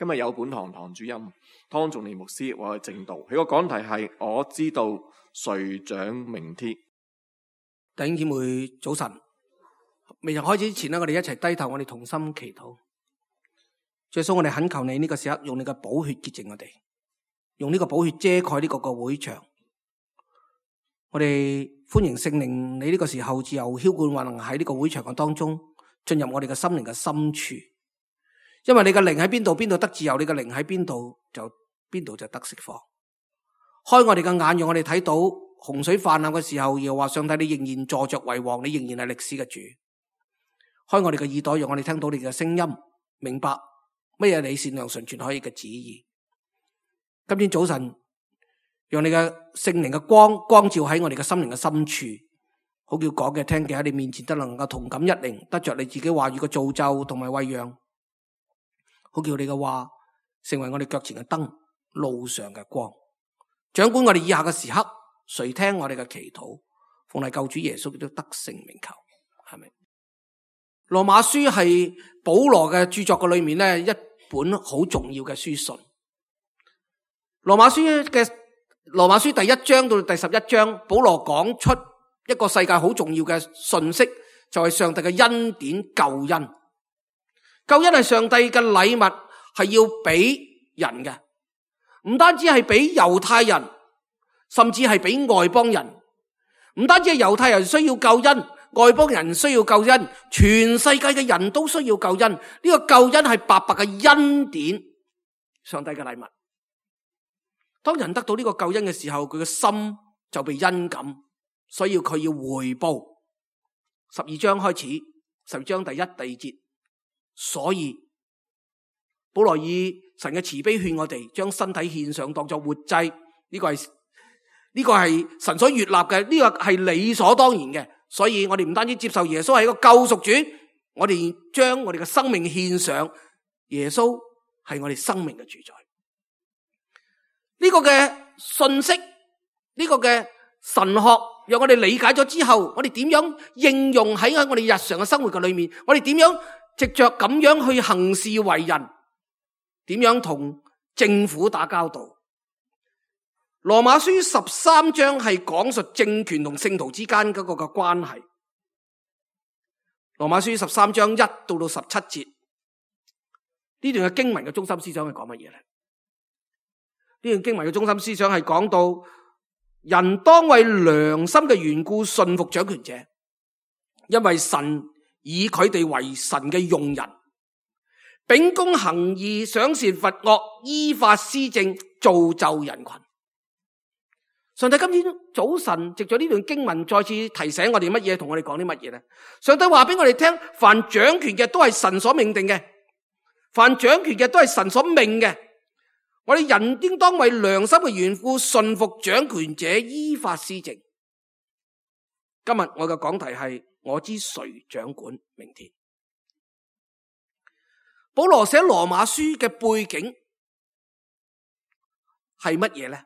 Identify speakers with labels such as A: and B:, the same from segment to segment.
A: 今日有本堂主任湯仲年牧師為我哋證道，佢個講題係我知道誰掌明天。
B: 弟兄姊妹早晨，未曾開始之前我哋一齊低頭，我哋同心祈禱。耶穌，我哋懇求你呢個時刻用你嘅寶血潔淨我哋，用呢個寶血遮蓋呢個會場。我哋歡迎聖靈，你呢個時候自由澆灌運行喺呢個會場嘅當中，進入我哋嘅心靈嘅深處。因為你嘅靈喺邊度，邊度得自由；你嘅靈喺邊度，邊度就得釋放。開我哋嘅眼，讓我哋睇到洪水泛濫嘅時候，又話上帝你仍然坐着為王，你仍然係歷史嘅主。開我哋嘅耳朵，讓我哋聽到你嘅聲音，明白乜嘢你善良純全可以嘅旨意。今天早晨，讓你嘅聖靈嘅光照喺我哋嘅心靈嘅深處，好叫講嘅聽嘅喺你面前都能夠同感一靈，得着你自己話語嘅造就同埋餵養。好叫你嘅話成為我哋腳前嘅燈，路上嘅光，掌管我哋以下嘅時刻。誰聽我哋嘅祈禱，奉係救主耶穌基督得勝名求，係咪？羅馬書係保羅嘅著作嘅裏面咧，一本好重要嘅書信。羅馬書第1章到第11章，保羅講出一個世界好重要嘅信息，就係上帝嘅恩典救恩。救恩係上帝嘅禮物，係要俾人嘅，唔單止係俾猶太人，甚至係俾外邦人。唔單止係猶太人需要救恩，外邦人需要救恩，全世界嘅人都需要救恩。呢個救恩係白白嘅恩典，上帝嘅禮物。當人得到呢個救恩嘅時候，佢嘅心就被恩感，所以佢要回報。12章開始，12章第1、第2節。所以保羅以神嘅慈悲勸我哋將身體獻上當作活祭，呢個係神所悅納嘅，呢個係理所當然嘅。所以我哋唔單止接受耶穌係一個救贖主，我哋將我哋嘅生命獻上，耶穌係我哋生命嘅主宰。呢個嘅信息，呢個嘅神學，讓我哋理解咗之後，我哋點樣應用喺我哋日常嘅生活嘅裏面？我哋點樣藉着咁樣去行事為人？點樣同政府打交道？羅馬書13章係講述政權同聖徒之間嗰個嘅關係。羅馬書13章1到17節，呢段嘅經文嘅中心思想係講乜嘢咧？呢段經文嘅中心思想係講到人當為良心嘅緣故順服掌權者，因為神以佢哋為神嘅用人，秉公行義，賞善罰惡，依法施政，造就人群。上帝今天早晨藉咗呢段經文再次提醒我哋乜嘢，同我哋講啲乜嘢咧？上帝話俾我哋聽，凡掌權嘅都係神所命定嘅，凡掌權嘅都係神所命嘅。我哋人應當為良心嘅緣故順服掌權者，依法施政。今日我嘅講題係我知誰掌管明天。保羅寫羅馬書嘅背景係乜嘢咧？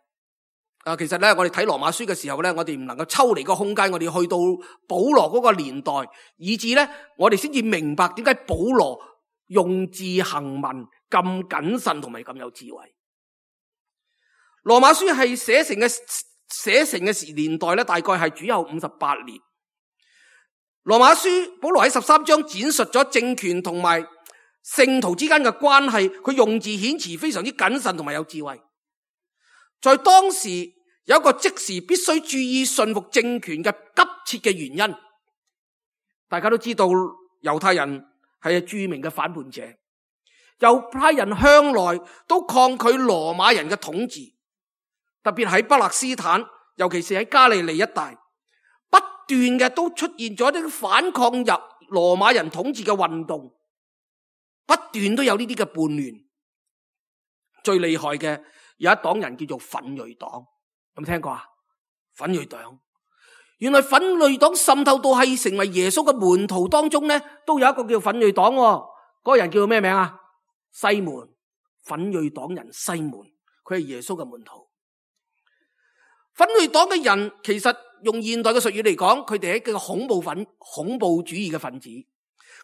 B: 其實咧，我哋睇羅馬書嘅時候咧，我哋唔能夠抽離個空間，我哋去到保羅嗰個年代，以至咧，我哋先至明白點解保羅用字行文咁謹慎同埋咁有智慧。羅馬書係寫成嘅年代咧，大概係主後58年。羅馬書保羅喺13章展述咗政權同埋聖徒之間嘅關係，佢用字遣詞非常之謹慎同埋有智慧。在當時有一個即時必須注意順服政權嘅急切嘅原因。大家都知道猶太人係著名嘅反叛者，猶太人向來都抗拒羅馬人嘅統治，特別喺巴勒斯坦，尤其是喺加利利一帶，不斷嘅都出現咗啲反抗入羅馬人統治嘅運動，不斷都有呢啲嘅叛亂。最厲害嘅有一黨人叫做奮銳黨，有冇聽過啊？奮銳黨，原來奮銳黨滲透到係成為耶穌嘅門徒當中咧，都有一個叫奮銳黨，嗰個人叫做咩名啊？西門，奮銳黨人西門，佢係耶穌嘅門徒。奮銳黨嘅人其實用現代嘅術語嚟講，佢哋係一個恐怖主義嘅分子。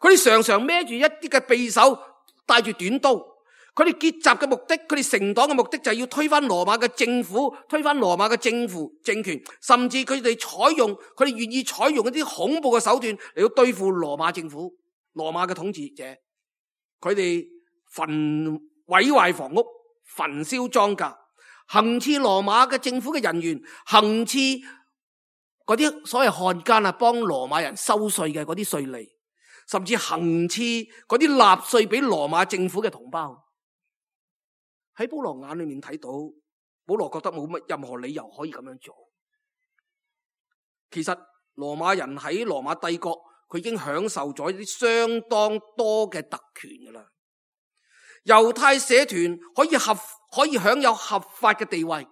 B: 佢哋常常孭住一啲嘅匕首，帶住短刀，佢哋結集嘅目的，佢哋成黨嘅目的就係要推翻羅馬嘅政府，推翻羅馬嘅政權，甚至佢哋願意採用一啲恐怖嘅手段嚟到對付羅馬政府、羅馬嘅統治者。佢哋毀壞房屋、焚燒莊稼，行刺羅馬嘅政府嘅人員，行刺嗰啲所謂漢奸啊，幫羅馬人收稅嘅嗰啲稅吏，甚至行刺嗰啲納稅俾羅馬政府嘅同胞。喺保羅眼裏面睇到，保羅覺得冇乜任何理由可以咁樣做。其實羅馬人喺羅馬帝國，佢已經享受咗一啲相當多嘅特權噶啦。猶太社團可以享有合法嘅地位，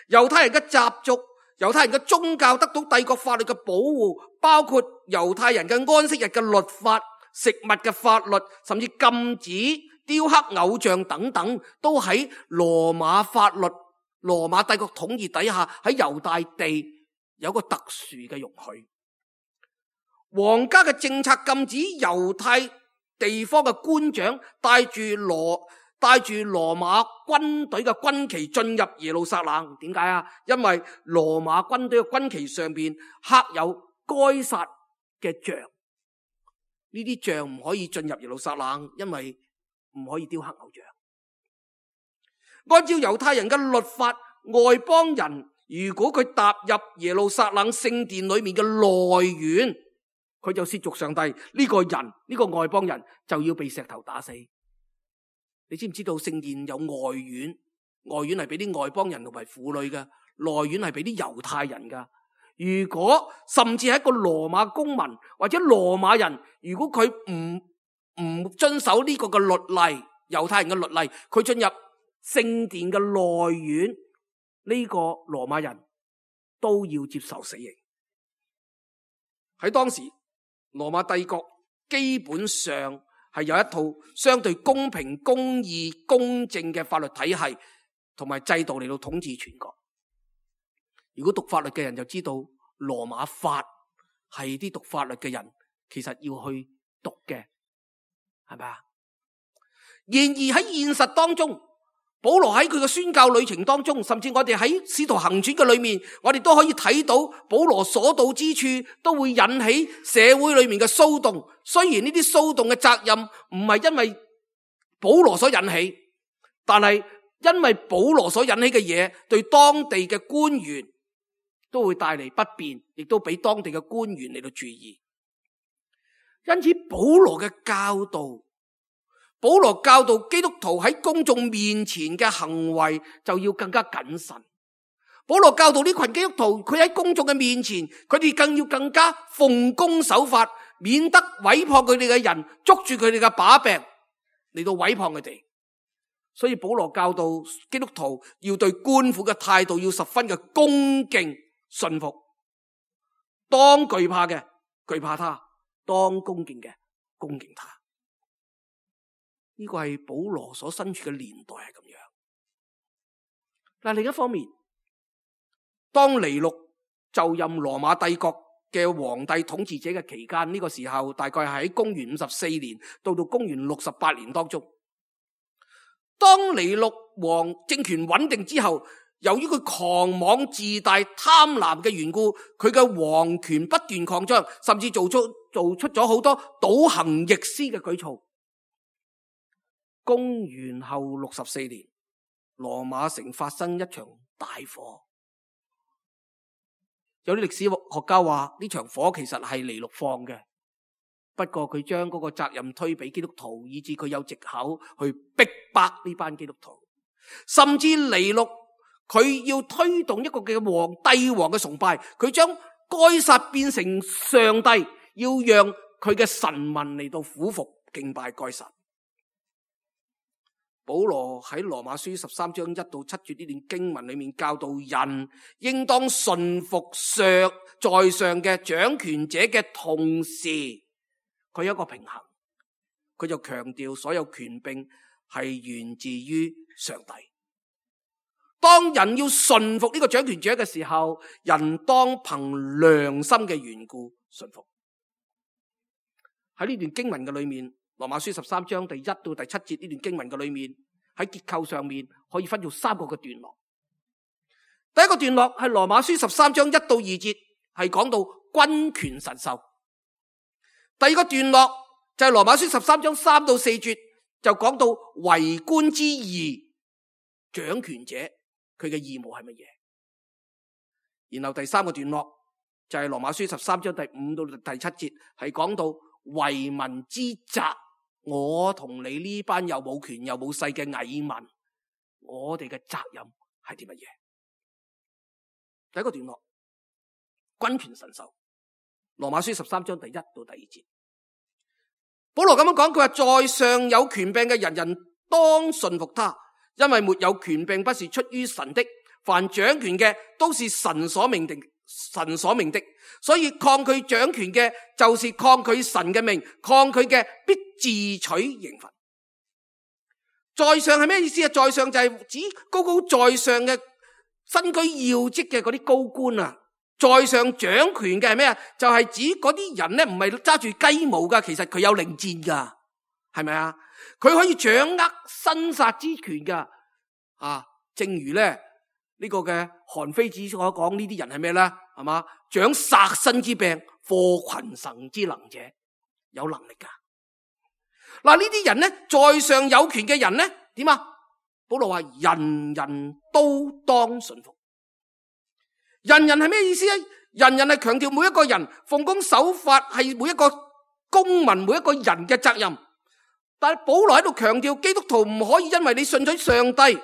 B: 猶太人嘅習俗、猶太人嘅宗教得到帝國法律嘅保護，包括猶太人嘅安息日嘅律法、食物嘅法律，甚至禁止雕刻偶像等等，都喺羅馬法律、羅馬帝國統治底下喺猶大地有個特殊嘅容許。皇家嘅政策禁止猶太地方嘅官長帶住羅馬軍隊嘅軍旗進入耶路撒冷。點解啊？因為羅馬軍隊嘅軍旗上邊刻有該撒嘅像，呢啲像唔可以進入耶路撒冷，因為唔可以雕刻偶像。按照猶太人嘅律法，外邦人如果佢踏入耶路撒冷聖殿裏面嘅內院，佢就褻瀆上帝，呢個人，呢個外邦人就要被石頭打死。你知唔知道聖殿有外院？外院係俾啲外邦人同埋婦女嘅，內院係俾啲猶太人噶。如果甚至係一個羅馬公民或者羅馬人，如果佢唔遵守呢個嘅律例，猶太人嘅律例，佢進入聖殿嘅內院，呢個羅馬人都要接受死刑。喺當時，羅馬帝國基本上係有一套相對公平、公義、公正嘅法律體系同埋制度嚟到統治全國。如果讀法律嘅人就知道，羅馬法係啲讀法律嘅人其實要去讀嘅，係咪啊？然而喺現實當中，保羅喺佢嘅宣教旅程當中，甚至我哋喺使徒行傳嘅裏面，我哋都可以睇到保羅所到之處都會引起社會裏面嘅騷動。雖然呢啲騷動嘅責任唔係因為保羅所引起，但係因為保羅所引起嘅嘢，對當地嘅官員都會帶嚟不便，亦都俾當地嘅官員嚟到注意。因此保羅教導基督徒喺公眾面前嘅行為就要更加謹慎。保羅教導呢群基督徒，佢喺公眾嘅面前，佢哋更加奉公守法，免得毀謗佢哋嘅人捉住佢哋嘅把柄嚟到毀謗佢哋。所以保羅教導基督徒要對官府嘅態度要十分嘅恭敬順服，當懼怕嘅懼怕他，當恭敬嘅恭敬他。呢個係保羅所身處嘅年代係咁樣。但另一方面，當尼祿就任羅馬帝國嘅皇帝統治者嘅期間，呢個時候大概係喺公元54年到公元68年當中。當尼祿王政權穩定之後，由於佢狂妄自大、貪婪嘅緣故，佢嘅皇權不斷擴張，甚至做出咗好多倒行逆施嘅舉措。公元後64年，羅馬城發生一場大火。有啲歷史學家話呢場火其實係尼祿放嘅，不過佢將嗰個責任推俾基督徒，以致佢有藉口去逼迫呢班基督徒。甚至尼祿佢要推動一個嘅帝王嘅崇拜，佢將該撒變成上帝，要讓佢嘅臣民嚟到俯伏敬拜該撒。保羅喺羅馬書13章1到7節呢段經文裏面教導人應當順服在上嘅掌權者嘅同時，佢有一個平衡，佢就強調所有權柄係源自於上帝。當人要順服呢個掌權者嘅時候，人當憑良心嘅緣故順服。喺呢段經文嘅裏面，羅馬書13章第1到第7節呢段經文嘅裏面，喺結構上面可以分做3個嘅段落。第一個段落係羅馬書13章1到2節，係講到君權神授。第二個段落就係羅馬書13章3到4節，就講到為官之義，掌權者佢嘅義務係乜嘢。然後第三個段落就係羅馬書13章第5到第7節，係講到為民之責，我同你呢班又冇權又冇勢嘅蟻民，我哋嘅責任係啲乜嘢？第一個段落，君權神授，羅馬書13章第1到第2節。保羅咁樣講，佢話在上有權柄嘅人人當順服他，因為沒有權柄不是出於神的，凡掌權嘅都是神所命的，所以抗拒掌權嘅就是抗拒神嘅命，抗拒嘅必自取刑罰。在上係咩意思啊？在上就係指高高在上嘅身居要職嘅嗰啲高官啊。在上掌權嘅係咩啊？就係指嗰啲人咧，唔係揸住雞毛噶，其實佢有令箭噶，係咪啊？佢可以掌握生殺之權噶。正如咧呢個嘅韓非子所講，呢啲人係咩咧？係嘛？掌殺身之柄，禍群臣之能者，有能力噶。嗱，呢啲人咧，在上有權嘅人咧，點啊？保羅話人人都當順服。人人係咩意思啊？人人係強調每一個人奉公守法係每一個公民每一個人嘅責任。但係保羅喺度強調，基督徒唔可以因為你信咗上帝，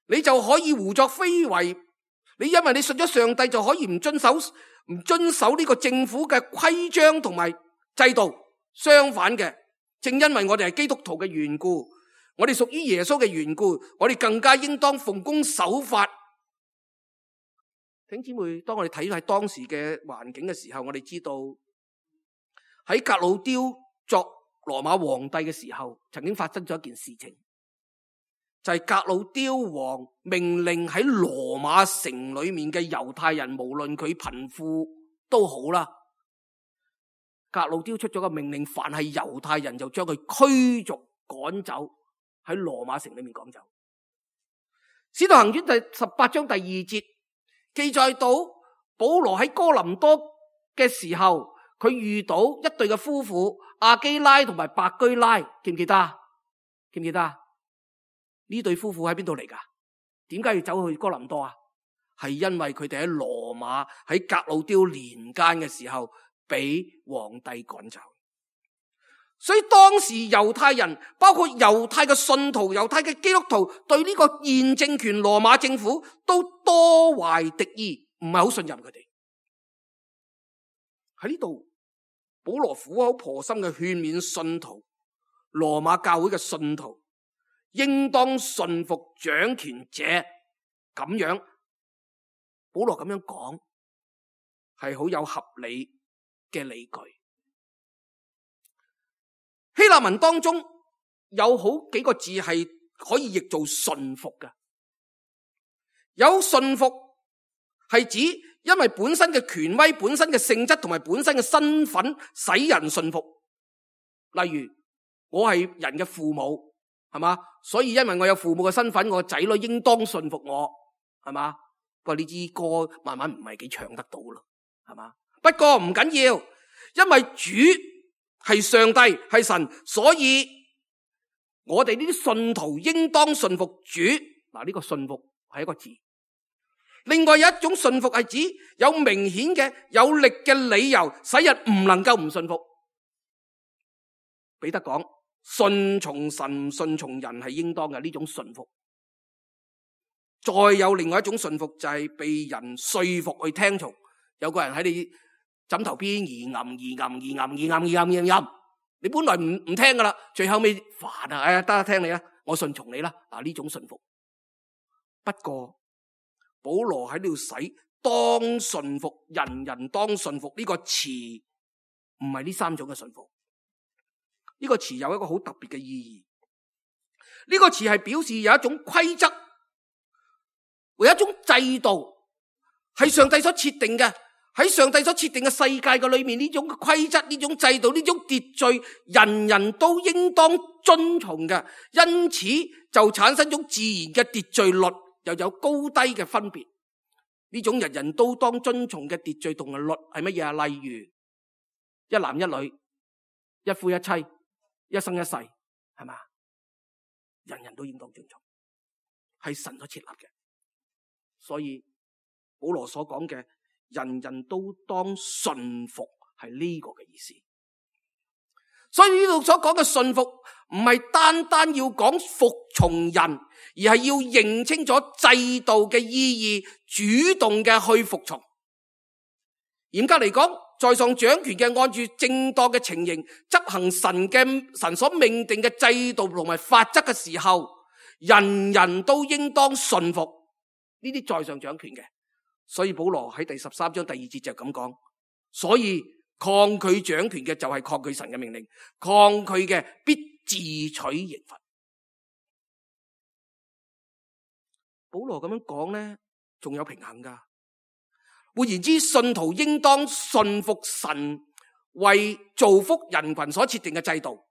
B: 你就可以胡作非為。你因為你信咗上帝就可以唔遵守呢個政府嘅規章同埋制度。相反嘅，正因為我哋係基督徒嘅緣故，我哋屬於耶穌嘅緣故，我哋更加應當奉公守法。弟兄姊妹，當我哋睇喺當時嘅環境嘅時候，我哋知道喺革老丟作羅馬皇帝嘅時候，曾經發生咗一件事情，就係革老丟王命令喺羅馬城裏面嘅猶太人，無論佢貧富都好啦，革老丟出咗個命令，凡係猶太人就將佢驅逐趕走，喺羅馬城裏面趕走。使徒行傳第18章第2節記載到，保羅喺哥林多嘅時候，佢遇到一對嘅夫婦，亞基拉同埋百居拉，記唔記得？記唔記得？呢對夫婦喺邊度嚟噶？點解要走去哥林多啊？係因為佢哋喺羅馬喺革老丟年間嘅時候，俾皇帝趕走。所以當時猶太人，包括猶太嘅信徒、猶太嘅基督徒，對呢個現政權羅馬政府都多懷敵意，唔係好信任佢哋。喺呢度，保羅苦口婆心嘅勸勉信徒，羅馬教會嘅信徒應當順服掌權者。咁樣，保羅咁樣講係好有合理嘅理據。希臘文當中有好幾個字係可以譯做順服嘅。有順服係指因為本身嘅權威、本身嘅性質同埋本身嘅身份使人順服。例如我係人嘅父母，係嘛？所以因為我有父母嘅身份，我仔女應當順服我，係嘛？不過呢支歌慢慢唔係幾唱得到咯，係嘛？不過唔緊要，因為主係上帝，係神，所以我哋呢啲信徒應當順服主。嗱，呢個順服係一個字。另外有一種順服係指有明顯嘅有力嘅理由，使人唔能夠唔順服。彼得講，順從神、順從人係應當嘅呢種順服。再有另外一種順服就係被人說服去聽從。有個人喺你枕頭邊你本來唔聽噶啦，最後尾煩啊，得聽你啦，我順從你啦。嗱，呢種順服。不過保羅喺呢度使當順服，人人當順服呢個詞，唔係呢3種嘅順服。呢個詞有一個好特別嘅意義。呢個詞係表示有一種規則，有一種制度係上帝所設定嘅，喺上帝所設定嘅世界嘅裏面，呢種規則、呢種制度、呢種秩序，人人都應當遵從嘅，因此就產生咗自然嘅秩序律，又有高低嘅分別。呢種人人都當遵從嘅秩序同埋律係乜嘢啊？例如一男一女、一夫一妻、一生一世，係嘛？人人都應當遵從，係神所設立嘅。所以保羅所講嘅人人都當順服係呢個嘅意思。所以呢度所講嘅順服唔係單單要講服從人，而係要認清楚制度嘅意義，主動嘅去服從。嚴格嚟講，在上掌權嘅按住正當嘅情形執行神所命定嘅制度同埋法則嘅時候，人人都應當順服呢啲在上掌權嘅。所以保羅喺第13章第2節就咁講，所以抗拒掌權嘅就係抗拒神嘅命令，抗拒嘅必自取刑罰。保羅咁樣講呢，仲有平衡噶。換言之，信徒應當順服神為造福人群所設定嘅制度。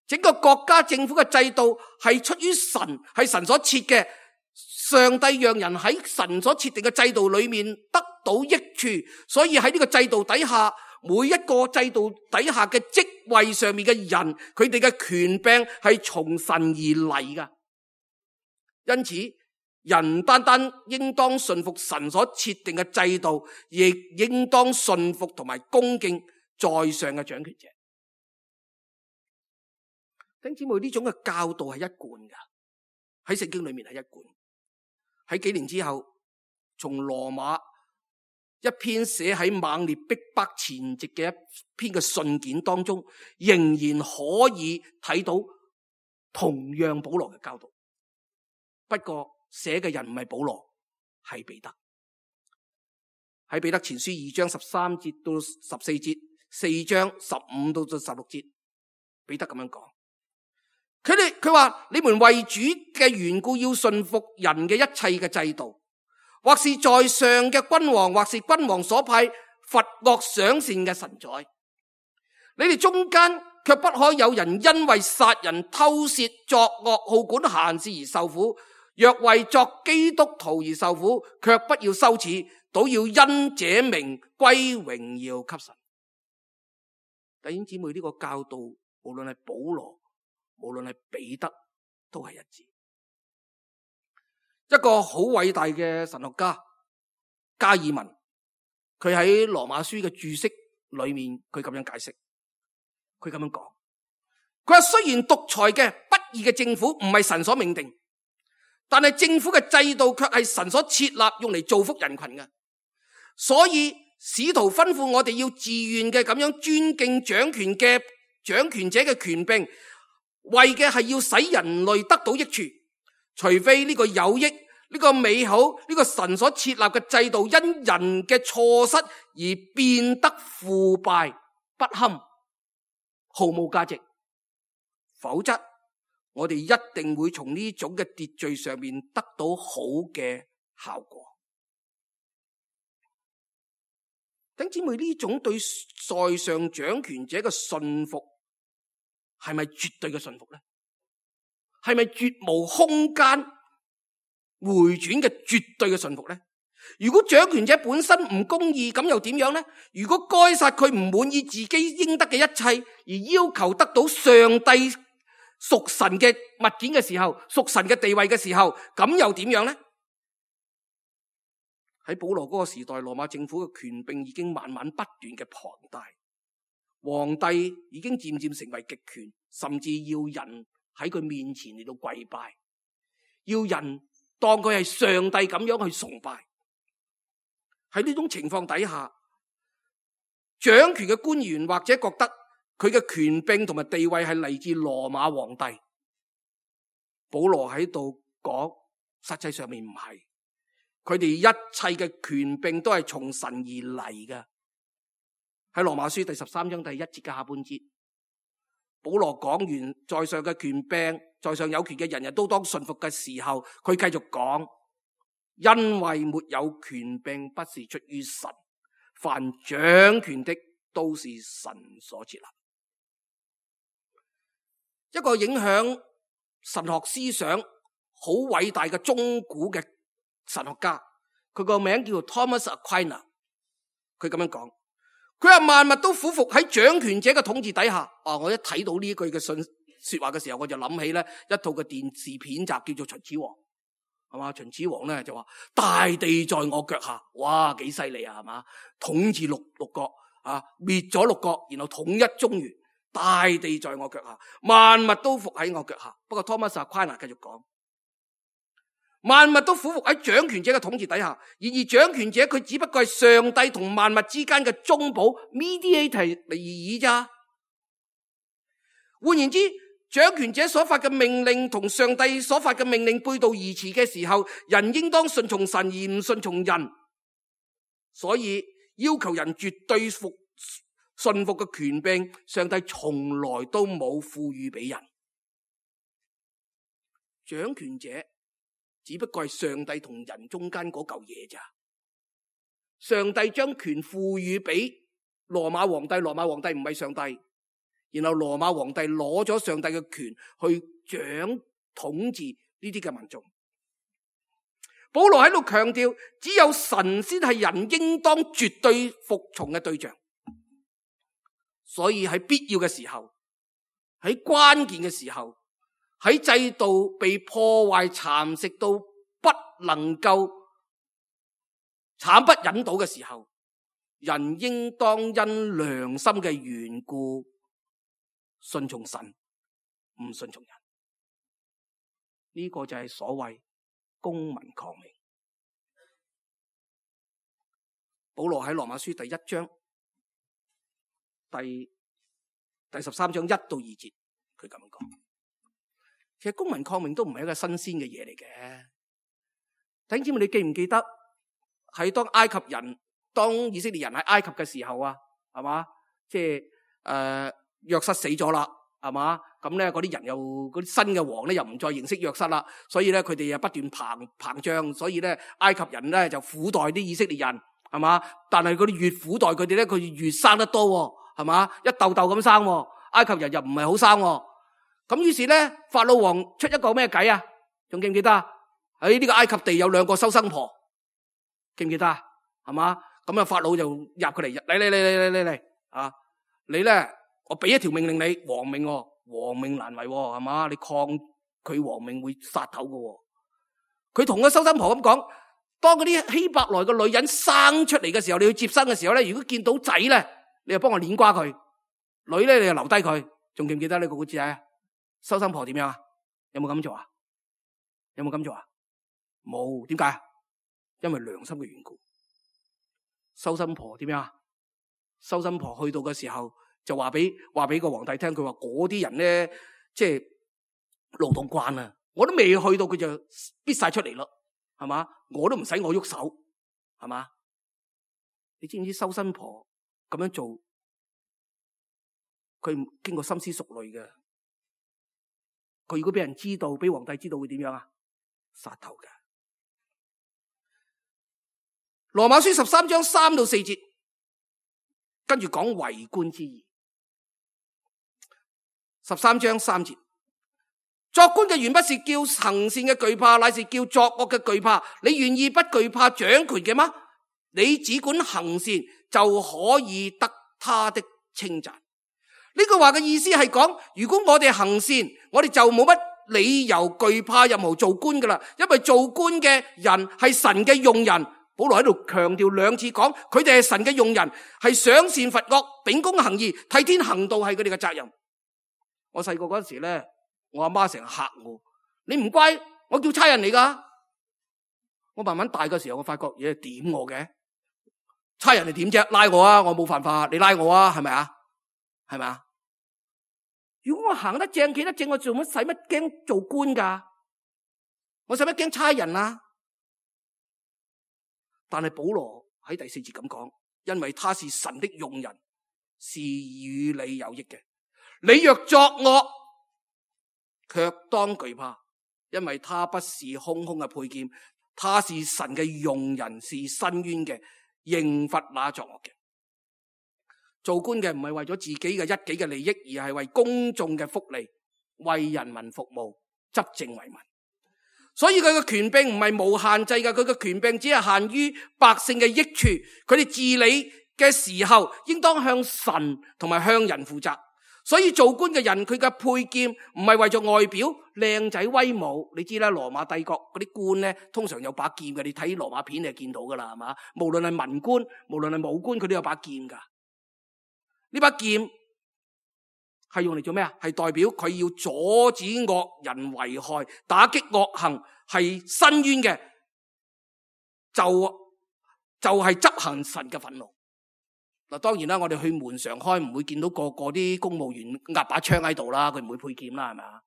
B: 整個國家政府嘅制度係出於神，係神所設嘅。上帝讓人喺神所設定嘅制度裏面得到益處，所以喺呢個制度底下，每一個制度底下嘅職位上面嘅人，佢哋嘅權柄係從神而嚟噶。因此，人單單應當順服神所設定嘅制度，亦應當順服同埋恭敬在上嘅掌權者。弟兄姊妹，呢種嘅教導係一貫噶，喺聖經裏面係一貫。喺幾年之後，從羅馬一篇寫喺猛烈逼迫前夕嘅一篇嘅信件當中，仍然可以睇到同樣保羅嘅教導。不過寫嘅人唔係保羅，係彼得。喺彼得前書2章13節到14節，4章15到16節，彼得咁樣講。佢話你們為主嘅緣故要順服人嘅一切嘅制度，或是在上嘅君王，或是君王所派罰惡賞善嘅臣宰。你哋中間卻不可有人因為殺人、偷竊、作惡、好管閒事而受苦。若為作基督徒而受苦，卻不要羞恥，倒要因這名歸榮耀給神。弟兄姊妹，呢個教導無論係保羅，無論係彼得，都係一致。一個好偉大嘅神學家加爾文，佢喺羅馬書嘅注釋裏面，佢咁樣解釋，佢咁樣講，佢話雖然獨裁嘅不義嘅政府唔係神所命定，但係政府嘅制度卻係神所設立用嚟造福人群嘅。所以使徒吩咐我哋要自願嘅咁樣尊敬掌權者嘅權柄，為嘅係要使人類得到益處，除非呢個有益、呢個美好、呢個神所設立嘅制度因人嘅錯失而變得腐敗不堪、毫無價值，否則我哋一定會從呢種嘅秩序上面得到好嘅效果。弟兄姊妹，呢種對在上掌權者嘅信服係咪絕對嘅信服呢？係咪絕無空間回轉嘅絕對嘅信服呢？如果掌權者本身唔公義，咁又點樣呢？如果該撒佢唔滿意自己應得嘅一切，而要求得到上帝屬神嘅物件嘅時候，屬神嘅地位嘅時候，咁又點樣呢？喺保羅嗰個時代，羅馬政府嘅權柄已經慢慢不斷嘅龐大，皇帝已經漸漸成為極權，甚至要人喺佢面前嚟到跪拜，要人當佢係上帝咁樣去崇拜。喺呢種情況底下，掌權嘅官員或者覺得佢嘅權柄同埋地位係嚟自羅馬皇帝。保羅喺度講，實際上面唔係，佢哋一切嘅權柄都係從神而嚟嘅。喺羅馬書第13章第1節嘅下半節，保羅講完在上嘅權柄，在上有權嘅人人都當順服嘅時候，佢繼續講，因為沒有權柄不是出於神，凡掌權的都是神所設立。一個影響神學思想好偉大嘅中古嘅神學家，佢個名叫做 Thomas Aquinas。佢咁樣講，佢話萬物都俯伏喺掌權者嘅統治底下。我一睇到呢句嘅說話嘅時候，我就諗起咧一套嘅電視片集叫做《秦始皇》，係嘛？秦始皇咧就話大地在我腳下，哇，幾犀利啊，係嘛？統治六國啊，滅咗六國，然後統一中原，大地在我腳下，萬物都伏喺我腳下。不過 Thomas Aquinas 繼續講，萬物都俯伏喺掌權者嘅統治底下，然而掌權者佢只不過係上帝同萬物之間嘅中保 mediator 嚟而已咋。換言之，掌權者所發嘅命令同上帝所發嘅命令背道而馳嘅時候，人應當順從神而唔順從人。所以要求人絕對順服嘅權柄，上帝從來都冇賦予俾人。掌權者只不過係上帝同人中間嗰嚿嘢咋。上帝將權賦予俾羅馬皇帝，羅馬皇帝唔係上帝。然後羅馬皇帝攞咗上帝嘅權去統治呢啲嘅民眾。保羅喺度強調，只有神先係人應當絕對服從嘅對象。所以喺必要嘅時候，喺關鍵嘅時候，喺制度被破壞蠶食到不能夠慘不忍睹嘅時候，人應當因良心嘅緣故順從神，唔順從人。呢個就係所謂公民抗命。保羅喺羅馬書第1章第13章1到2節，佢咁樣講。其實公民抗命都唔係一個新鮮嘅嘢嚟嘅。弟兄姊妹，你記唔記得喺當以色列人喺埃及嘅時候啊，係嘛？即係約瑟死咗啦，係嘛？咁咧嗰啲人嗰啲新嘅王咧又唔再認識約瑟啦，所以咧佢哋又不斷膨脹，所以咧埃及人咧就苦待啲以色列人，係嘛？但係佢哋越苦待佢哋咧，佢越生得多，係嘛？一竇竇咁生，埃及人又唔係好生，咁於是咧法老王出一個咩計啊？仲記唔記得啊？喺呢個埃及地有2個收生婆，記唔記得啊？係嘛？咁啊法老就入佢嚟，嚟啊！你咧。我俾一條命令你，王命難違，係嘛？你抗拒王命會殺頭嘅。佢同個收生婆咁講，當嗰啲希伯來嘅女人生出嚟嘅時候，你去接生嘅時候咧，如果見到仔咧，你就幫我捏瓜佢；女咧，你就留低佢。仲記唔記得呢個故事啊？收生婆點樣啊？有冇咁做啊？有冇咁做啊？冇。點解？因為良心嘅緣故。收生婆點樣啊？收生婆去到嘅時候，就話俾個皇帝聽，佢話嗰啲人咧，即係勞動慣啊，我都未去到，佢就逼晒出嚟咯，係嘛？我都唔使我喐手，係嘛？你知唔知收生婆咁樣做，佢經過深思熟慮嘅。佢如果俾人知道，俾皇帝知道會點樣啊？殺頭嘅。羅馬書13章3到4節，跟住講為官之義。13章3節，作官嘅原不是叫行善嘅懼怕，乃是叫作惡嘅懼怕。你願意不懼怕掌權嘅嗎？你只管行善，就可以得他的稱讚。呢句話嘅意思係講，如果我哋行善，我哋就冇乜理由懼怕任何做官噶啦，因為做官嘅人係神嘅用人。保羅喺度強調2次講，佢哋係神嘅用人，係賞善罰惡、秉公行義、替天行道，係佢哋嘅責任。我細個嗰時咧，我阿媽成日嚇我，你唔乖，我叫差人嚟噶。我慢慢大嘅時候，我發覺嘢點我嘅，差人嚟點啫？拉我啊，我冇犯法，你拉我啊，係咪啊？係咪啊？如果我行得正企得正，我做乜使乜驚做官噶？我使乜驚差人啊？但係保羅喺第4節咁講，因為他是神的用人，是與你有益嘅。你若作惡，卻當懼怕，因為他不是空空嘅佩劍，他是神嘅用人，是伸冤嘅，刑罰那作惡嘅。做官嘅唔係為咗自己嘅一己嘅利益，而係為公眾嘅福利，為人民服務，執政為民。所以佢嘅權柄唔係無限制嘅，佢嘅權柄只係限於百姓嘅益處。佢哋治理嘅時候，應當向神同埋向人負責。所以做官嘅人，佢嘅佩劍唔係為咗外表靚仔威武。你知啦，羅馬帝國嗰啲官咧，通常有把劍嘅。你睇羅馬片你就見到噶啦，係嘛？無論係文官，無論係武官，佢都有把劍噶。呢把劍係用嚟做咩啊？係代表佢要阻止惡人為害，打擊惡行，係申冤嘅，就係執行神嘅憤怒。嗱，當然啦，我哋去門常開唔會見到個啲公務員壓把槍喺度啦，佢唔會配劍啦，係咪啊？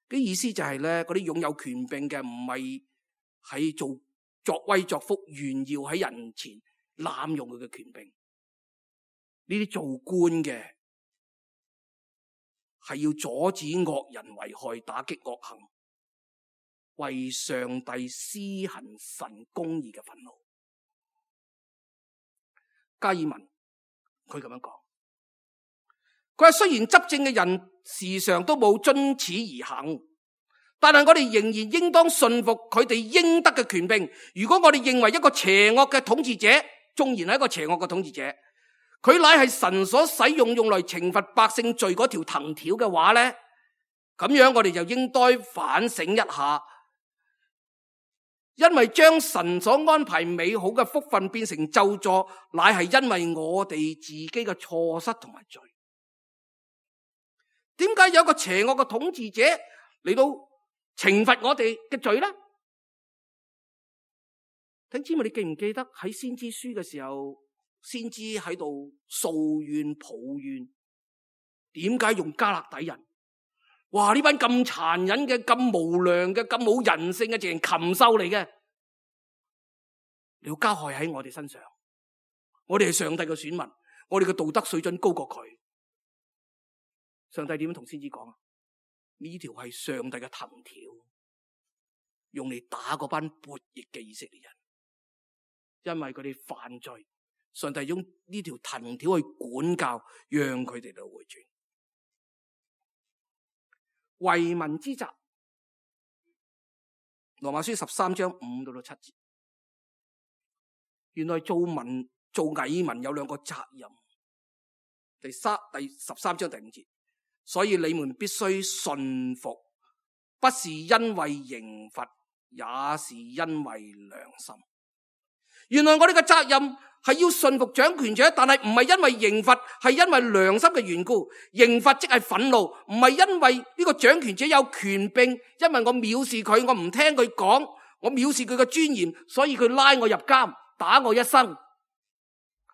B: 啲意思就係咧，嗰啲擁有權柄嘅唔係喺作威作福，炫耀喺人前濫用佢嘅權柄。呢啲做官嘅係要阻止惡人為害，打擊惡行，為上帝施行神公義嘅憤怒。加爾文佢咁樣講，佢話雖然執政嘅人時常都冇遵此而行，但係我哋仍然應當信服佢哋應得嘅權柄。如果我哋認為一個邪惡嘅統治者，縱然係一個邪惡嘅統治者，佢乃係神所使用嚟懲罰百姓罪嗰條藤條嘅話咧，咁樣我哋就應該反省一下，因為將神所安排美好嘅福分變成咒詛，乃係因為我哋自己嘅錯失同埋罪。點解有個邪惡嘅統治者嚟到懲罰我哋嘅罪咧？弟兄姊妹，你記唔記得喺先知書嘅時候，先知喺度訴怨抱怨？點解用加勒底人？哇！呢班咁殘忍嘅、咁無良嘅、咁冇人性嘅，淨係禽獸嚟嘅，你要加害喺我哋身上。我哋係上帝嘅選民，我哋嘅道德水準高過佢。上帝點樣同先知講啊？呢條係上帝嘅藤條，用嚟打嗰班悖逆嘅以色列人，因為佢哋犯罪，上帝用呢條藤條去管教，讓佢哋嚟回轉。為民之責，羅馬書13章5到7節。原來做蟻民有兩個責任。第13章第5節，所以你們必須順服，不是因為刑罰，也是因為良心。原來我哋嘅責任係要順服掌權者，但係唔係因為刑罰，係因為良心嘅緣故。刑罰即係憤怒，唔係因為呢個掌權者有權柄，因為我藐視佢，我唔聽佢講，我藐視佢嘅尊嚴，所以佢拉我入監，打我一生。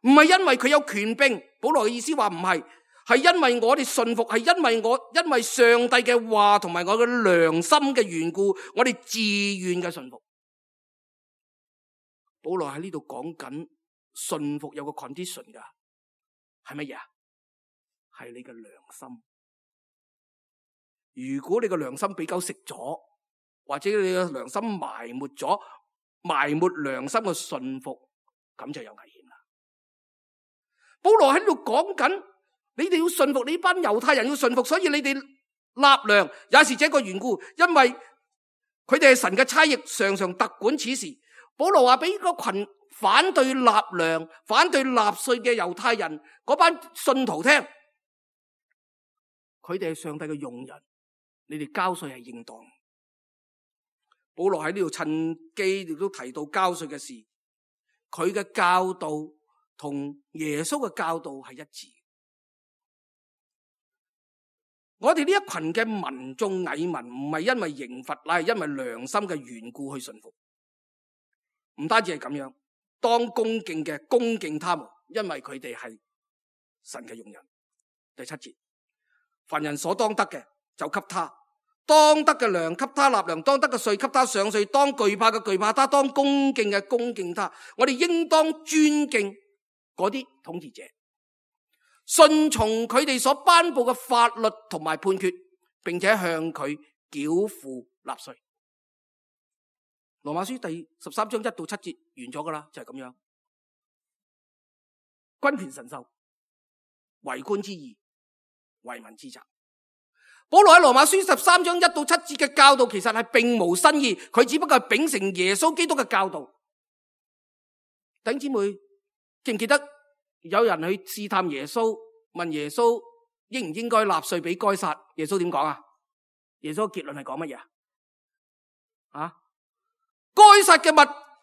B: 唔係因為佢有權柄，保羅嘅意思話唔係，係因為我哋順服，係因為上帝嘅話同埋我嘅良心嘅緣故，我哋自願嘅順服。保羅喺呢度講緊順服有個 condition 噶，係乜嘢啊？係你嘅良心。如果你嘅良心俾狗食咗，或者你嘅良心埋沒良心嘅順服，咁就有危險啦。保羅喺呢度講緊，你哋要順服，你班猶太人要順服，所以你哋納糧也是這個緣故，因為佢哋係神嘅差役，常常特管此事。保羅話俾個群反對納糧、反對納稅嘅猶太人嗰班信徒聽，佢哋係上帝嘅用人，你哋交稅係應當。保羅喺呢度趁機亦都提到交稅嘅事，佢嘅教導同耶穌嘅教導係一致。我哋呢一群嘅民眾蟻民唔係因為刑罰，乃係因為良心嘅緣故去順服。唔單止係咁樣，當恭敬他們，因為佢哋係神嘅用人。第7節，凡人所當得嘅就給他，當得嘅糧給他納糧，當得嘅稅給他上稅，當懼怕嘅懼怕他，當恭敬嘅恭敬他。我哋應當尊敬嗰啲統治者，順從佢哋所頒布嘅法律同埋判決，並且向佢繳付納稅。羅馬書第13章1到7節完咗噶啦，就係咁樣。君權神授，為官之義，為民之責。保羅喺羅馬書13章1到7節嘅教導其實係並無新意，佢只不過係秉承耶穌基督嘅教導。弟兄姊妹記唔記得有人去試探耶穌，問耶穌應唔應該納稅俾該撒？耶穌點講啊？耶穌嘅結論係講乜嘢啊？該撒嘅物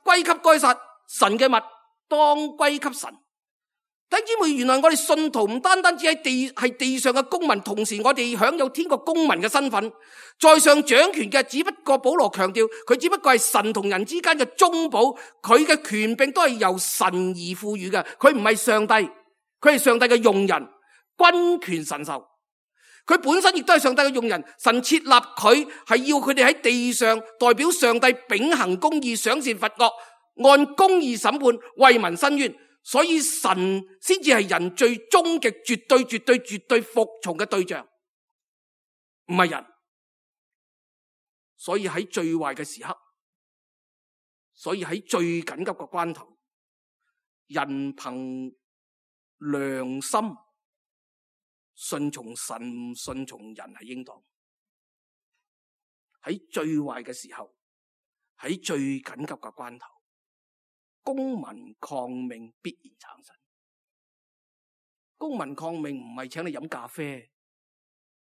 B: 歸給該撒，神嘅物當歸給神。弟兄姊妹，原來我哋信徒唔單單只係地上嘅公民，同時我哋享有天國公民嘅身份。在上掌權嘅只不過保羅強調，佢只不過係神同人之間嘅中保，佢嘅權柄都係由神而賦予嘅，佢唔係上帝，佢係上帝嘅用人，君權神授。佢本身亦都係上帝嘅用人，神設立佢係要佢哋喺地上代表上帝秉行公義，賞善罰惡，按公義審判，為民伸冤。所以神先至係人最終極絕對服從嘅對象，唔係人。所以喺最壞嘅時刻，所以喺最緊急嘅關頭，人憑良心順從神，順從人係應當。喺最壞嘅時候，喺最緊急嘅關頭，公民抗命必然產生。公民抗命唔係請你飲咖啡、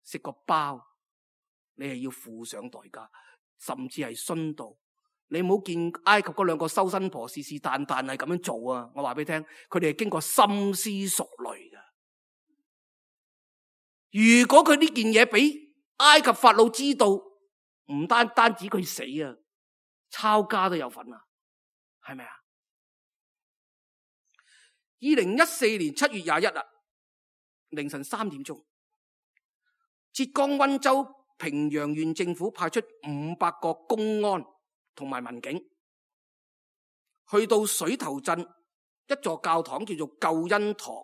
B: 食個包，你係要付上代價，甚至係殉道。你唔好見埃及嗰兩個修身婆是但係咁樣做啊！我話俾你聽，佢哋係經過深思熟慮嘅。如果佢呢件嘢俾埃及法老知道，唔單止佢死啊，抄家都有份啊，係咪啊？2014年7月21日凌晨3點鐘，浙江溫州平陽縣政府派出500個公安同埋民警，去到水頭鎮一座教堂叫做救恩堂，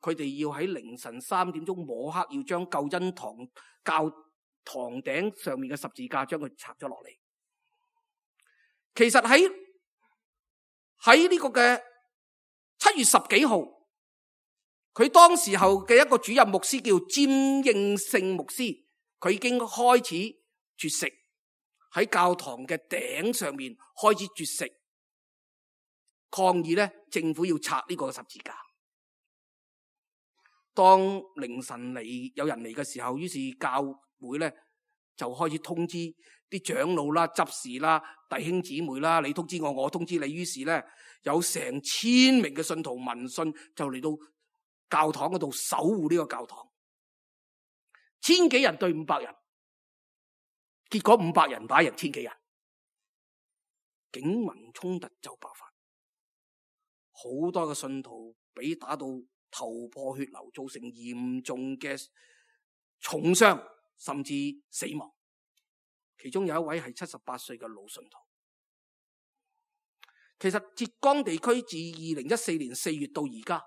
B: 佢哋要喺凌晨3點鐘摸黑要將救恩堂教堂頂上面嘅十字架將佢拆咗落嚟。其實喺呢個嘅7月10幾號，佢當時候嘅一個主任牧師叫詹應勝牧師，佢已經開始絕食，喺教堂嘅頂上面開始絕食，抗議咧政府要拆呢個十字架。當凌晨有人嚟嘅時候，於是教會咧就開始通知啲長老啦、執事啦、弟兄姊妹啦，你通知我，我通知你。於是咧有成1000名嘅信徒聞訊就嚟到教堂嗰度守護呢個教堂，1000幾人對500人，結果500人打人1000幾人，警民衝突就爆發，好多嘅信徒俾打到頭破血流，造成嚴重嘅重傷甚至死亡。其中有一位係78歲嘅老信徒。其實浙江地區自2014年4月到而家，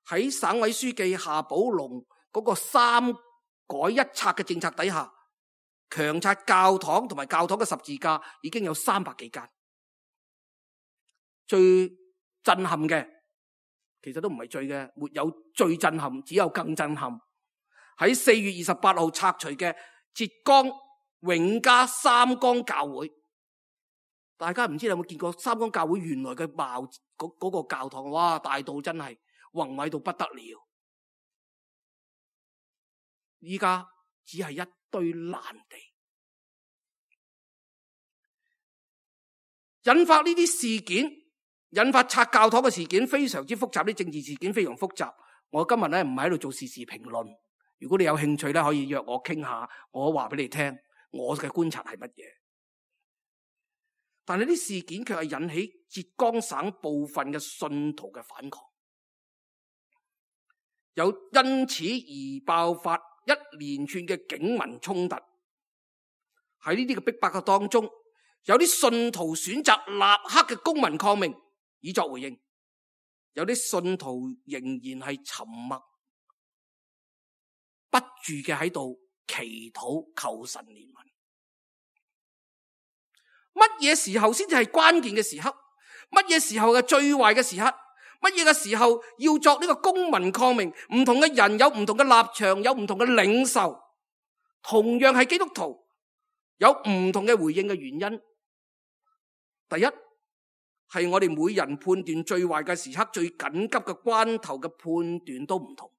B: 喺省委書記夏寶龍嗰個3改1拆嘅政策底下，強拆教堂同埋教堂嘅十字架已經有300幾間。最震撼嘅，其實都唔係最嘅，沒有最震撼，只有更震撼。喺4月28號拆除嘅浙江永嘉三江教會，大家唔知有冇見過三江教會原來嘅貌嗰個教堂？哇，大到真係宏偉到不得了。依家只係一堆爛地，引發呢啲事件，引發拆教堂嘅事件非常之複雜，啲政治事件非常複雜。我今日咧唔係喺度做時事評論，如果你有興趣咧，可以約我傾下，我話俾你聽我嘅觀察係乜嘢。但係啲事件卻係引起浙江省部分嘅信徒嘅反抗，有因此而爆發一連串嘅警民衝突。喺呢啲嘅逼迫嘅當中，有啲信徒選擇立刻嘅公民抗命以作回應，有啲信徒仍然係沉默不住嘅喺度祈禱求神憐憫。乜嘢時候先至係關鍵嘅時刻？乜嘢時候嘅最壞嘅時刻？乜嘢嘅時候要作呢個公民抗命？唔同嘅人有唔同嘅立場，有唔同嘅領袖，同樣係基督徒，有唔同嘅回應嘅原因。第一係我哋每人判斷最壞嘅時刻、最緊急嘅關頭嘅判斷都唔同。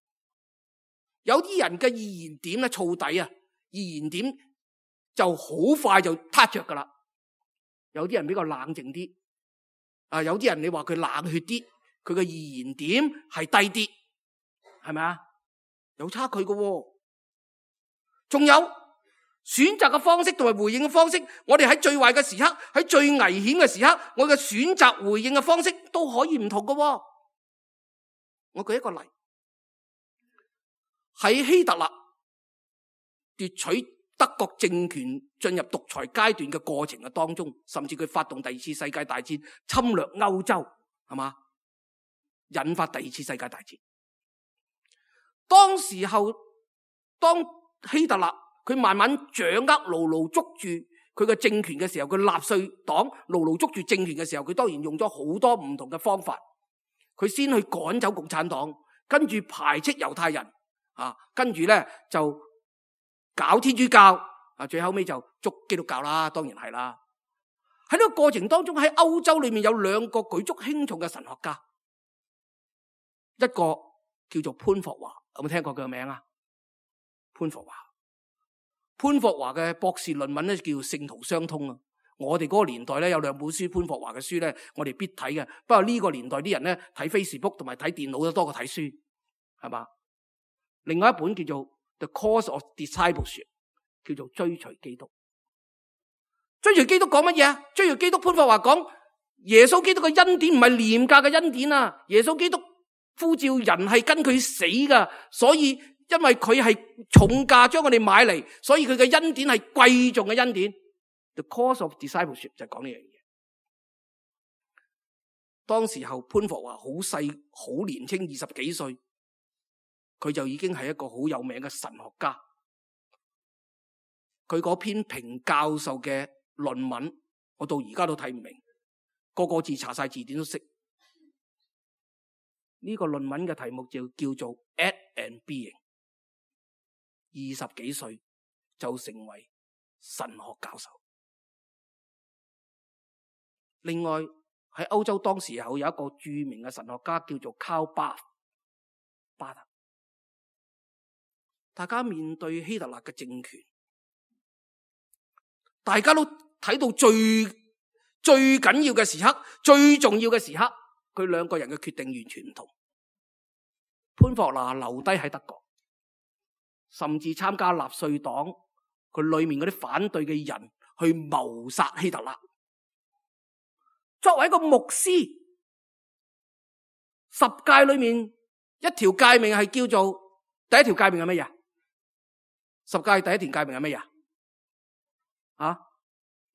B: 有啲人嘅意言點咧，燥底啊，意言點就好快就撻着噶啦。有啲人比較冷靜啲，有啲人你話佢冷血啲，佢嘅意言點係低啲，係咪啊？有差距嘅喎。仲有選擇嘅方式同埋回應嘅方式，我哋喺最壞嘅時刻，喺最危險嘅時刻，我嘅選擇回應嘅方式都可以唔同嘅喎。我舉一個例，喺希特勒奪取德國政權進入獨裁階段嘅過程嘅當中，甚至佢發動第二次世界大戰，侵略歐洲，係嘛？引發第二次世界大戰。當時候，當希特勒佢慢慢掌握、牢牢捉住佢嘅政權嘅時候，佢納粹黨牢牢捉住政權嘅時候，佢當然用咗好多唔同嘅方法。佢先去趕走共產黨，跟住排斥猶太人，跟住咧就搞天主教，最後尾就捉基督教啦，當然係啦。喺呢個過程當中，喺歐洲裏面有兩個舉足輕重嘅神學家，一個叫做潘霍華，有冇聽過佢嘅名啊？潘霍華嘅博士論文咧叫《聖徒相通》啊。我哋嗰個年代咧有兩本書，潘霍華嘅書咧，我哋必睇嘅。不過呢個年代啲人咧睇 Facebook 同埋睇電腦都多過睇書，係嘛？另外一本叫做 The Course of Discipleship， 叫做追隨基督。追隨基督講乜嘢啊？追隨基督，潘霍華講耶穌基督嘅恩典唔係廉價嘅恩典啊！耶穌基督呼召人係跟佢死噶，所以因為佢係重價將我哋買嚟，所以佢嘅恩典係貴重嘅恩典。The Course of Discipleship 就係講呢樣嘢。當時候潘霍華好細好年輕，20幾歲，佢就已經係一個好有名嘅神學家。佢嗰篇評教授嘅論文，我到而家都睇唔明，個個字查晒字典都識。呢個論文嘅題目就叫做 At and Being。20幾歲就成為神學教授。另外喺歐洲當時候有一個著名嘅神學家叫做 Karl Barth。大家面對希特勒嘅政權，大家都睇到最緊要嘅時刻，最重要嘅時刻，佢兩個人嘅決定完全唔同。潘霍華留低喺德國，甚至參加納粹黨，佢裏面嗰啲反對嘅人去謀殺希特勒。作為一個牧師，10誡裏面一條誡命係叫做第一條誡命係乜嘢？10誡第一條誡命係乜嘢？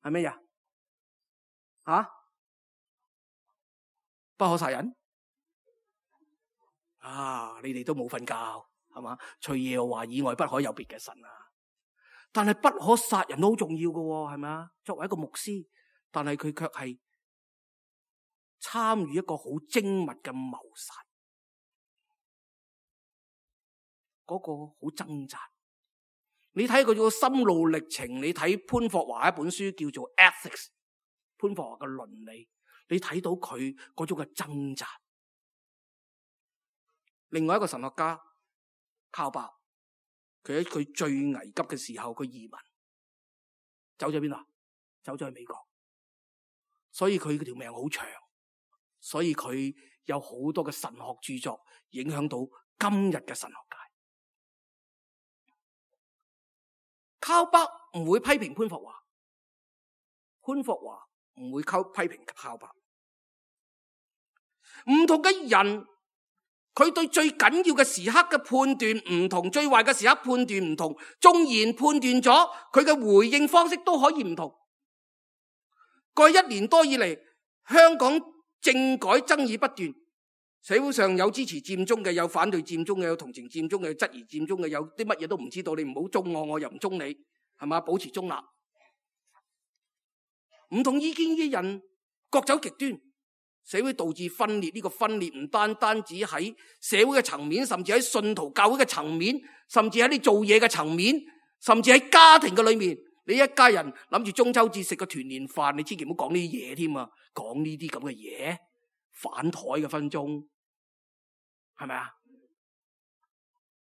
B: 係乜嘢？不可殺人。你哋都冇瞓覺係嘛？除耶和華以外不可有別嘅神啊！但係不可殺人都好重要㗎，係咪啊？作為一個牧師，但係佢卻係參與一個好精密嘅謀殺，嗰個好掙扎。你睇佢個心路歷程，你睇潘霍華一本書叫做 Ethics， 潘霍華嘅倫理，你睇到佢嗰種嘅掙扎。另外一個神學家靠伯，佢喺佢最危急嘅時候，佢移民走咗邊度？走咗去美國，所以佢條命好長，所以佢有好多嘅神學著作影響到今日嘅神學界。靠伯唔會批評潘霍華，潘霍華唔會批評靠伯。唔同嘅人，佢對最緊要嘅時刻嘅判斷唔同，最壞嘅時刻判斷唔同，縱然判斷咗，佢嘅回應方式都可以唔同。過去1年多以嚟，香港政改爭議不斷，社會上有支持佔中嘅，有反對佔中嘅，有同情佔中嘅，有質疑佔中嘅，有啲乜嘢都唔知道，你唔好中我，我又唔中你，係嘛？保持中立。唔同意見嘅人各走極端，社會導致分裂，呢個分裂唔單單止喺社會嘅層面，甚至喺信徒教會嘅層面，甚至喺你做嘢嘅層面，甚至喺家庭嘅裏面。你一家人諗住中秋節食個團年飯，你千祈唔好講呢啲嘢添啊！講呢啲咁嘅嘢，反台嘅分鐘，係咪啊？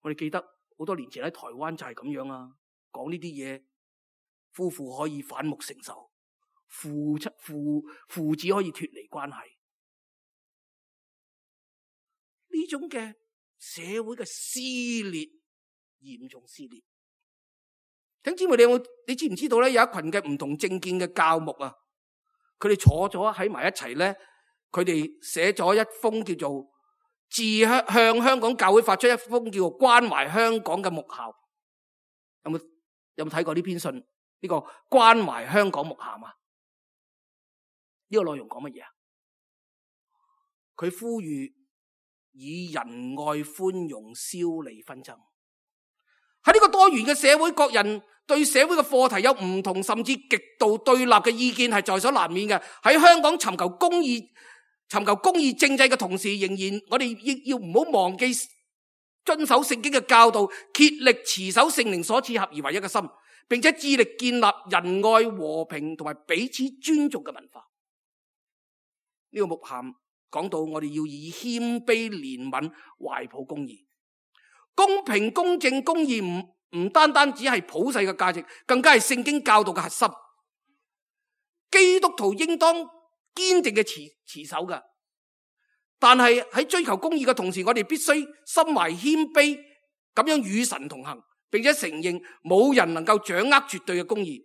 B: 我哋記得好多年前喺台灣就係咁樣啊，講呢啲嘢，夫婦可以反目成仇，父子可以脫離關係。呢種嘅社會嘅撕裂，嚴重撕裂。弟兄姊妹，你知唔知道咧？有一群嘅唔同政見嘅教牧啊，佢哋坐咗喺埋一齊咧，佢哋寫咗一封叫做向香港教會發出一封叫做關懷香港嘅牧函。有冇睇過呢篇信？呢個關懷香港牧函啊？呢個內容講乜嘢啊？佢呼籲以仁愛寬容消弭紛爭。喺呢個多元嘅社會，各人對社會嘅課題有唔同，甚至極度對立嘅意見係在所難免嘅。喺香港尋求公義政制嘅同時，仍然我哋要唔好忘記遵守聖經嘅教導，竭力持守聖靈所賜合而為一嘅心，並且致力建立仁愛、和平同埋彼此尊重嘅文化。呢個牧函講到我哋要以謙卑、憐憫懷抱公義。公平、公正、公義唔單單只係普世嘅價值，更加係聖經教導嘅核心。基督徒應當堅定嘅持守嘅，但係喺追求公義嘅同時，我哋必須心懷謙卑，咁樣與神同行，並且承認冇人能夠掌握絕對嘅公義。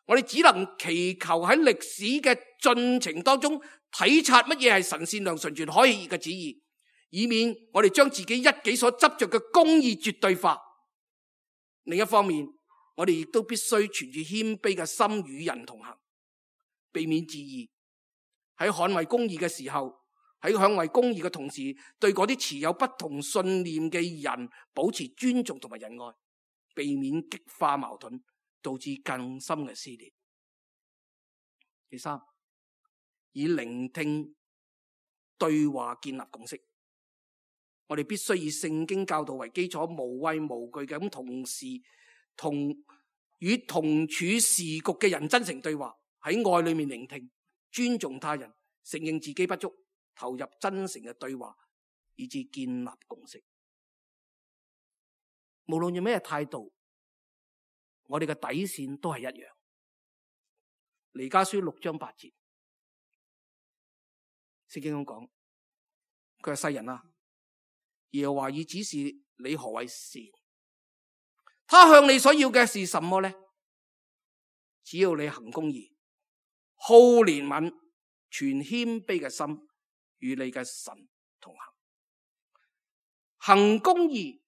B: 我哋只能祈求喺歷史嘅進程當中體察乜嘢係神善良、純全、可喜嘅旨意，以免我哋將自己一己所執着嘅公義絕對化。另一方面，我哋亦都必須存住謙卑嘅心與人同行，避免自義。喺捍衛公義嘅時候，喺捍衛公義嘅同時，對嗰啲持有不同信念嘅人保持尊重同埋仁愛，避免激化矛盾，導致更深嘅撕裂。第三，以聆聽對話建立共識。我哋必須以聖經教導為基礎，無畏無懼嘅咁與同處時局嘅人真誠對話，喺愛裏面聆聽，尊重他人，承認自己不足，投入真誠嘅對話，以至建立共識。無論用咩態度，我哋嘅底線都係一樣。彌迦書6章8節，聖經咁講，佢係世人啊，耶和華已指示你何為善，他向你所要嘅是什麼呢？只要你行公義，好憐憫，存謙卑嘅心，與你嘅神同行。行公義，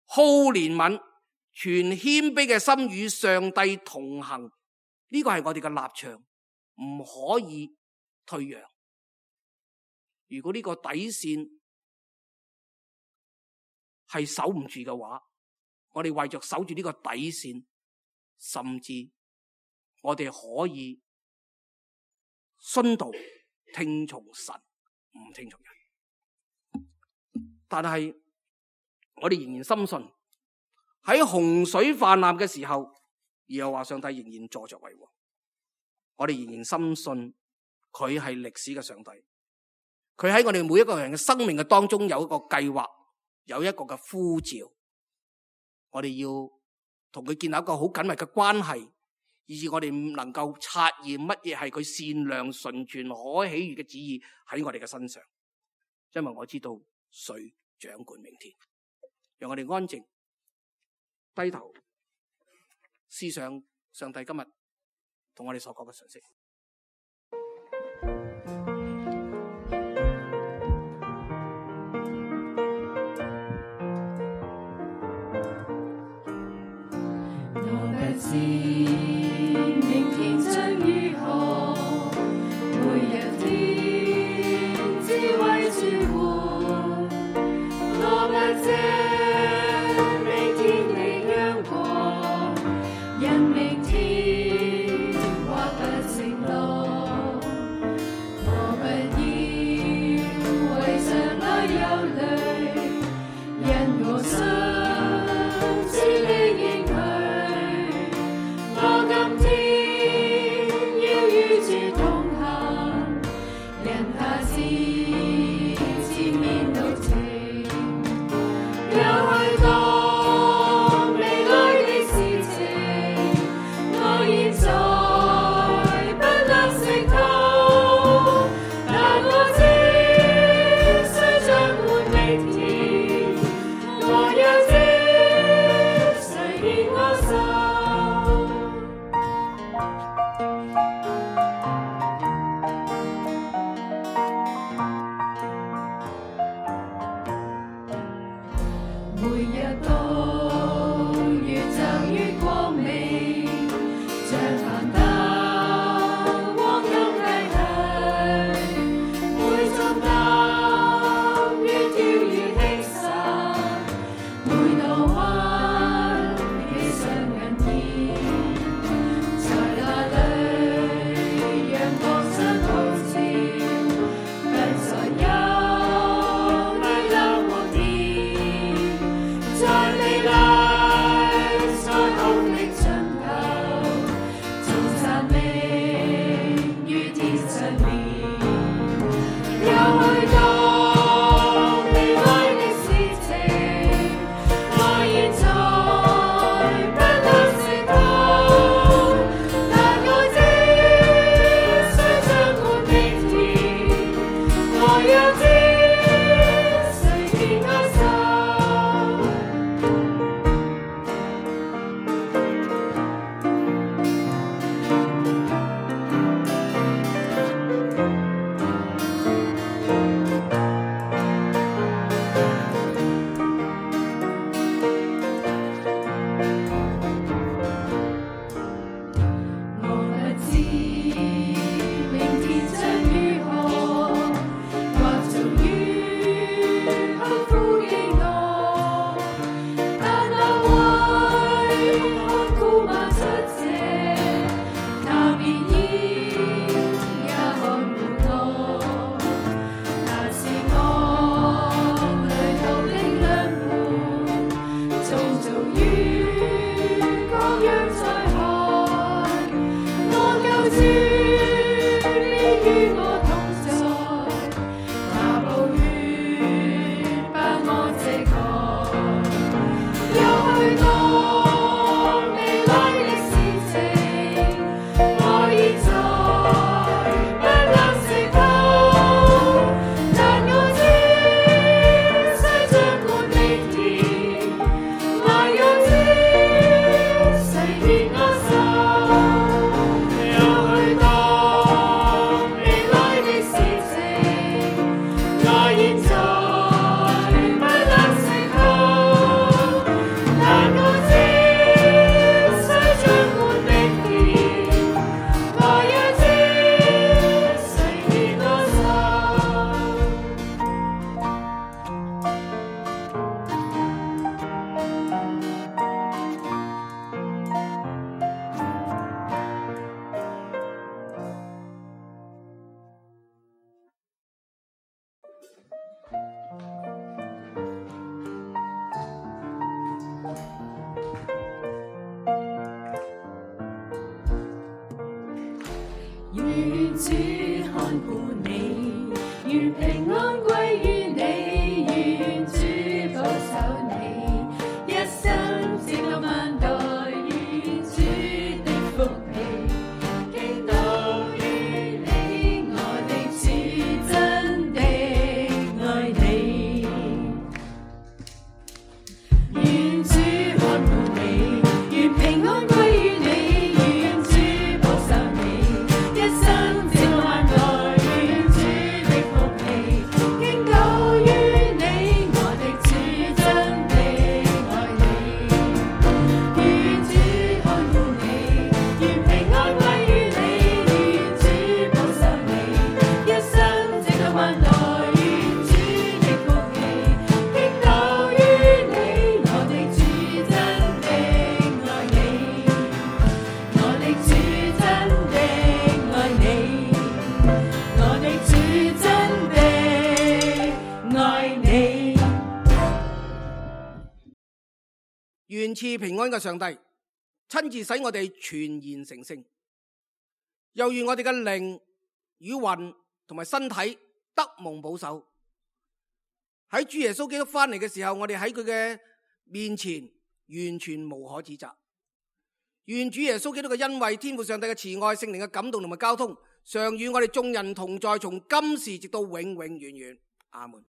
B: 好憐憫，存謙卑嘅心，與上帝同行。呢個係我哋嘅立場，唔可以退讓。如果呢個底線係守唔住嘅話，我哋為着守住呢個底線，甚至我哋可以殉道，聽從神，唔聽從人。但係我哋仍然深信，喺洪水泛濫嘅時候，耶和華上帝仍然坐着為王。我哋仍然深信佢係歷史嘅上帝，佢喺我哋每一個人嘅生命嘅當中有一個計劃，有一個嘅呼召。我哋要同佢建立一個好緊密嘅關係，以致我哋能夠察驗乜嘢係佢善良、純全、可喜悅嘅旨意喺我哋嘅身上。因為我知道誰掌管明天。讓我哋安靜低頭思想上帝今日同我哋所講嘅信息。
C: 我不知明天將如何，每一天智慧轉換。我不知明天你將過，因明天或不清。願主看顧你，願平安歸於你，願主保守你，一生直到萬代，願主的福氣傾倒於你，我的主真的愛你，願主看顧你，願平安歸於你，願主保守你，一生直到萬代，願主的福氣傾倒於你，我的主真的愛你，願主看顧你，願平安歸於你，願主保守你，一生直到萬代，願主的福氣傾倒於你，我的主真的愛你，我的主真的愛你，我的主真的愛你。
B: 願賜平安嘅上帝親自使我哋全然成聖，又願我哋嘅靈與魂同埋身體得蒙保守。喺主耶穌基督翻嚟嘅時候，我哋喺佢嘅面前完全無可指責。願主耶穌基督嘅恩惠、天父上帝嘅慈愛、聖靈嘅感動同埋交通，常與我哋眾人同在，從今時直到永永遠遠。阿門。